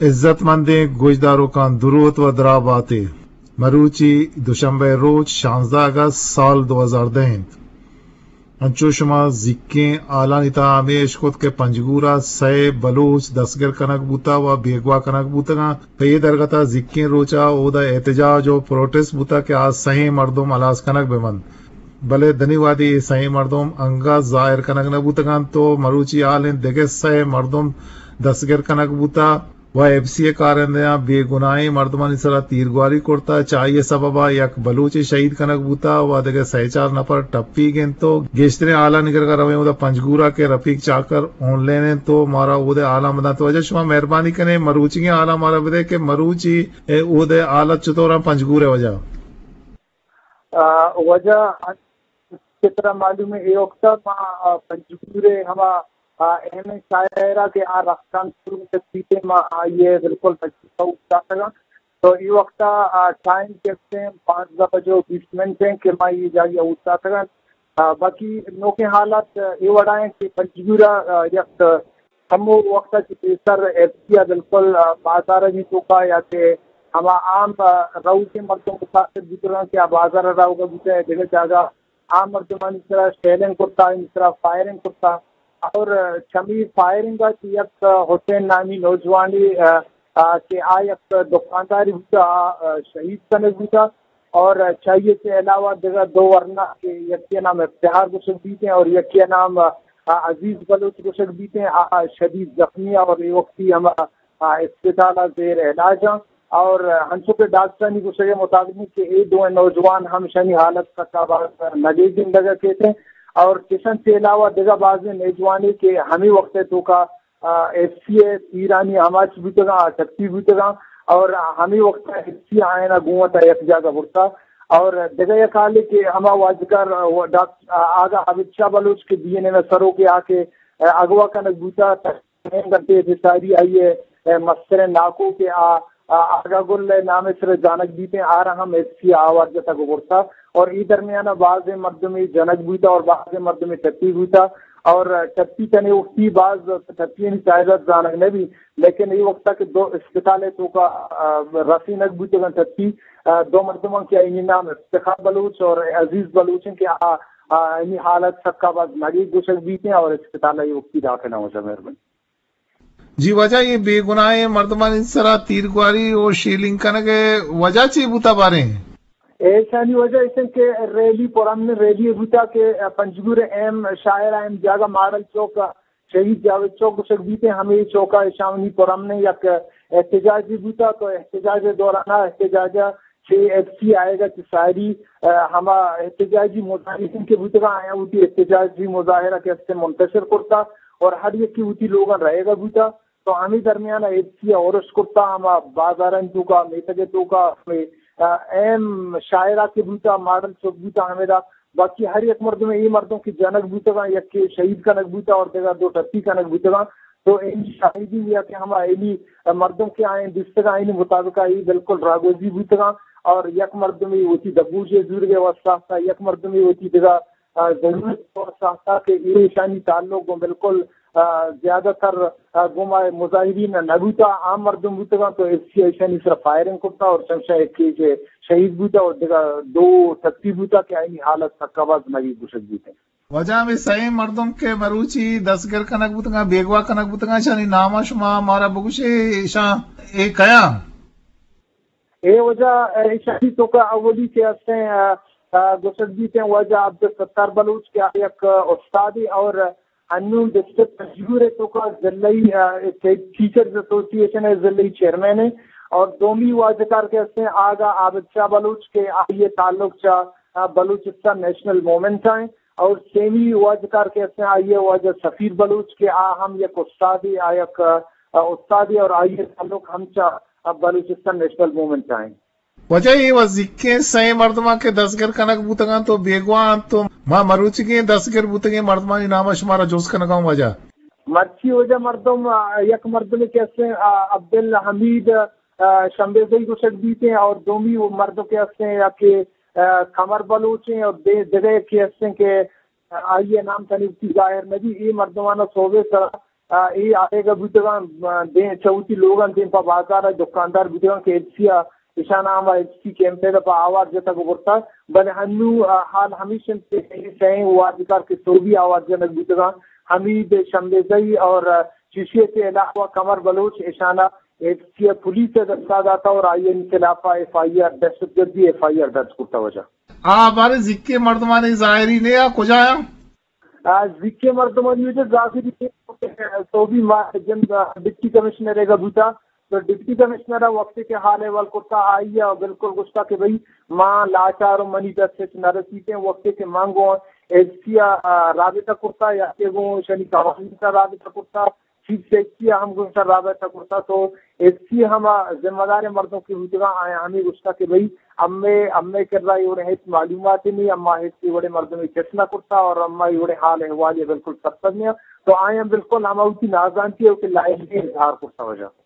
عزت مندیں گوشداروکاں دروت و درا باتے۔ مروچی دوشنبہ روچ شانزدہ اگست سال دو ہزار دہ انت۔ انچو شما زیکیں حالانی تہا ہمے اشکت کہ پنجگور ء سئے بلوچ دستگر کنگ بوتہ و بیگواہ کنگ بوتگاں۔ پہ اے درگت ء زیکیں روچ ء اودا احتجاج و پروٹسٹ بوتہ کہ آ سئیں مردم ہلاس کنگ بہ بنت۔ بلے دنی وہدی اے سئیں مردم انگت ظاہر کنگ نہ بوتگ انت و مروچی حال انت دگہ سئے مردم دستگر کنگ بوتہ و ایف سی ء کارندہاں بے گناہیں مردمانی سرا تیرگواری کرتہ، چہ آئی ء سبب ء یک بلوچے شہید کنگ بوتہ و دگہ سئے چار نفر ٹپیگ انت و گیشتریں حالانی کرگا رویں اودا پنجگور ء کہ رفیق چاکر آن لائن انت و مارا اود ء حالاں بدنت۔ واجہ شما مہربانی کنے مروچیگیں حالاں مارا بدے کہ مروچی اود ء حالت چطور انت پنجگور ء واجہ؟ آ، واجہ، چہ ترا معلوم ہے، اے وقت ما، آ، پنجگور ء ہما، آ، اہم شاعرہ کہ آ رفتان شروع کتیتے، ما آئیے بالکل تجربہ اٹھاتگا۔ تو اے وقت، آ، ٹائم کہتے ہیں پانزدہ بجے و بیس منٹ ہیں کہ ما یہ جاگہ اٹھاتگا۔ آ، باقی نوکیں حالات اے وڑا ہیں کہ پنجگور ء، آ، یک ہمو وقت ء کہ پیسر ایف سی ء بالکل، آ، بازارانی توکا یا کہ ہما عام، آ، روزیں مردم متاثر بوتگاں کہ آ بازار ء روگ ء بوتہ، دگہ جاگہ عام مردمانی سرا شیلنگ کرتا، آنی سرا فائرنگ کرتا اور، آ، چمی فائرنگ ء چہ یک، آ، حسین نامی نوجوانے، آ، آ، کہ آ یک دکانداری بوتا، آ، آ، شہید کنگ بوتا۔ اور چاہیے سے علاوہ دگہ دو ورنا کہ یکی نام افتخار گوشگ بیتے ہیں اور یکی نام، آ، عزیز بلوچ گوشگ بیتے ہیں، آ، شدید زخمی اور یہ وقتی ہم، آ، اسپتال زیر علاج ہیں۔ اور ہنچو کہ ڈاکٹرانی گوشگ مطابق کہ یہ دو نوجوان ہم شنی حالت تک آباد نگے زندگا کہتے ہیں۔ اور کشن سے علاوہ دگہ بعض نوجوانے کہ ہمیں وقت توکا آ، ایف سی ء تیرانی آماچ بوتگاں، آ، ٹپی بوتگاں اور ہمے وقت ء ایف سی آیانا گوں وتا یک جاگہ برتا۔ اور دگہ یک حالے کہ ہما واجکار، آ، ڈاکٹر، آ، آگا عابد شاہ بلوچ کہ بی این ایم ء سروک ء آ کہ، آ، اغوا کنگ بوتا، تقریباً گھنٹے سے ساری آئی ء، آ، مستریں ناکو کہ آ، آ، آگا گل ء نام ء سر زانگ بیتیں، آرا ہم ایف سی آوار جتگ و برتا۔ اور ای درمیان ء بازیں مردمے جنگ بوتا اور بازیں مردمے ٹپی بوتا۔ اور ٹپی تنے وقتی باز ٹپیانی تعداد زانگ نہ بی، لیکن ای وقتا کہ دو اسپتال ء توکا، آ، رسینگ بوتگاں ٹپی، آ، دو مردماں کہ آئینی نام افتخار بلوچ اور عزیز بلوچ ہیں کہ آ، آ، آئینی حالت سکا باز نگیگ گوشگ بیتیں اور اسپتال ء ای وقتی داخل ہیں۔ مہربانی۔ جی واجہ، یہ بے گناہیں مردمانی سرا تیرگواری و شیلنگ کنگ ء وجہ چی بوتا باریں؟ ایشانی وجہ ایش انت کہ ریلی پرامن ریلی بوتا کہ پنجگور اہم شاعر اہم جاگہ ماڈل چوک، شہید جاوید چوک گوشگ بیتے، ہمیں چوکا ایشانی پرامن یک احتجاجی بوتا۔ تو احتجاج دوران احتجاج چہ ایف سی آئے گا چہ ساری، آ، ہما احتجاجی مظاہرین کہ بوتگا آیا وتی احتجاجی مظاہرہ کہ است منتشر کرتا اور ہر یکی وتی لوگاں رہے گا بوتا۔ تو ہمے درمیان ء ایف سی ء اورش کرتا، ہما بازارانی توکا، میتگ ء توکا، ہمے، آ، اہم شاعرہ کہ بوتا، ماڈل چوک بوتا، ہمیدا باقی ہر یک مردم، اے مردم کہ جنگ بوتگاں، یکے شہید کنگ بوتا اور دگہ دو ٹپی کنگ بوتگاں۔ تو این شاہدی یا کہ ہما ایلی مردم کہ آئیں دیستگاں، اینی مطابق ای بالکل راگوزی بوتگاں اور یک مردمے وتی دبوجے زورگے واسطہ، یک مردمے وتی دگہ آ، ضرورت اور ساہتا کہ ایشانی تعلق گوں بالکل، آ، زیادہ تر، آ، گوں ما مظاہرین نہ بوتا، عام مردم بوتگاں تو ایف سی ایشانی سر فائرنگ کرتا اور چمشا ایک کہ شہید بوتا اور دگہ دو ٹپی بوتا کہ آئینی حالت سکا باز نگی گوشگ بیتے۔ واجہ ہمیں سئیں مردم کہ مروچی دستگر کنگ بوتگاں، بیگواہ کنگ بوتگاں، ایشانی نام شما مارا بگوشے، ایشاں اے کیا؟ اے واجہ، ایشانی توکا اولی کہ ہستیں، آ، آ، گوشگ بیتیں واجہ عبدالستار بلوچ کہ آ یک استادے اور انون ڈسٹرکٹ پنجگور ء توکا ضلعی، آ، ٹیچرز ایسوسی ایشن ء ضلعی چیئرمین ہے اور دومی واجہ کار کہ ہستیں آگا عابد شاہ بلوچ کہ آئی تعلق چا، آ، بلوچستان نیشنل موومنٹ ہیں اور سیمی واجہ کار کہ ہستیں آئی واجہ سفیر بلوچ کہ آ ہم یک استادے، آ یک، آ، استادے اور آئی تعلق ہم چا اب بلوچستان نیشنل موومنٹ ء انت۔ واجہ اے وزیکیں سئیں مردماں کہ دزگر کنگ بوتگاں تو بیگواہ انت تو ما مروچیگیں دزگر بوتگیں مردمانی نام ء شمارا جست کنگاں واجہ۔ مرچی واجہ مردم، آ، یک مردمے کہ استیں، آ، عبدالحمید، آ، شمبیزئی گوشگ بیتیں اور دومی مردم کہ استیں یا کہ، آ، قمر بلوچ ہیں اور دے-، دگہ کہ استیں کہ آئی ء نام تنی وتی ظاہر نہ بی، اے مردمانا سوبے سرا آ، اے آیگ ءَ بوتگاں، آ، دیم چہ وتی لوگاں دیم پہ بازار ءَ دکاندار بوتگاں کہ ایف سی ءَ اشان ءَ ہما ایف سی کیمپ ءِ دپ ءَ آوار جتگ ءُ برتگ، بلے ہنو، آ، حال ہمیش انت کہ سئیں واجکار کہ سوبی آوار جنگ بوتگاں، حمید شمبیزئی اور، آ، چیشی ءِ علاوہ قمر بلوچ اشان ءَ ایف سی ءِ پولیس ءِ دست ءَ داتگ اور آئی ءِ خلاف ءَ ایف آئی آر، دہشت گردی ایف آئی آر درج کرتگ واجہ۔ آ، بارے زیکیں مردمانی ظاہری نے آ کجا آں؟ آ، زیکیں مردمانی وجہ ظاہری نے سوبی ما جند ڈپٹی کمشنر ءِ گا بوتا، تو ڈپٹی کمشنر ءَ وقتے کہ حال احوال کرتا، آئی ءَ بالکل گوشتا کہ بھئی ما لاچار ءُ منی دست ہچ نہ رسیتیں، وقتے کہ من گوں ایف سی ءَ، آ، رابطہ کرتا یا کہ گوں شنی قوانین ءَ رابطہ کرتا، چیف سیکرٹری ءَ ہم گوں ایشاں رابطہ کرتا، تو ایف سی ہما ذمہ داریں مردم کہ بوتگاں، آیاں ہمے گوشتا کہ بھئی، امے، امے کرا اے وڑیں ہچ معلومات نہیں، اما ہچ اے وڑیں مردمے چٹ نہ کرتا اور اما اے وڑیں حال احوال ءَ بالکل سرپد نہیں۔ تو آیاں بالکل ہما وتی نازانتی ءُ کہ لاعلمی اظہار کرتا واجہ۔